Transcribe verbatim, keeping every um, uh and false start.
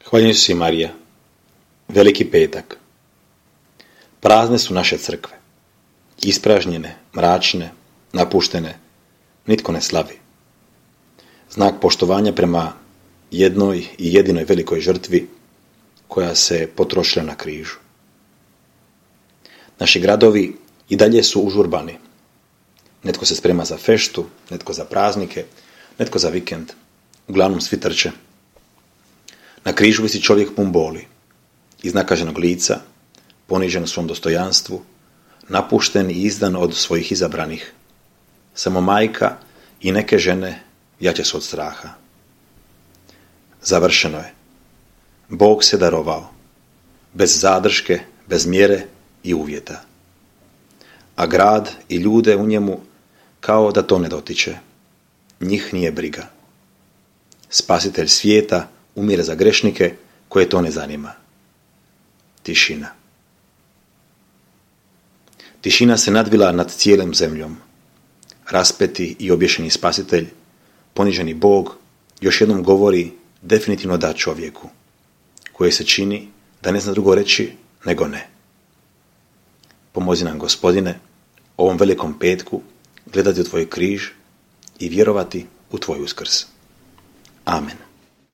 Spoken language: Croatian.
Hvaljen si Marija, veliki petak. Prazne su naše crkve, ispražnjene, mračne, napuštene, nitko ne slavi. Znak poštovanja prema jednoj i jedinoj velikoj žrtvi koja se potrošila na križu. Naši gradovi i dalje su užurbani. Netko se sprema za feštu, netko za praznike, netko za vikend. Uglavnom svi trče. Na križu visi čovjek pun boli, iznakaženog lica, ponižen u svom dostojanstvu, napušten i izdan od svojih izabranih. Samo majka i neke žene jače su od straha. Završeno je. Bog se darovao, bez zadrške, bez mjere i uvjeta. A grad i ljude u njemu kao da to ne dotiče. Njih nije briga. Spasitelj svijeta umire za grešnike koje to ne zanima. Tišina. Tišina se nadvila nad cijelom zemljom. Raspeti i obješeni spasitelj, poniženi Bog, još jednom govori definitivno da čovjeku, koje se čini da ne zna drugo reći nego ne. Pomozi nam, Gospodine, ovom velikom petku gledati u tvoj križ i vjerovati u tvoj uskrs. Amen.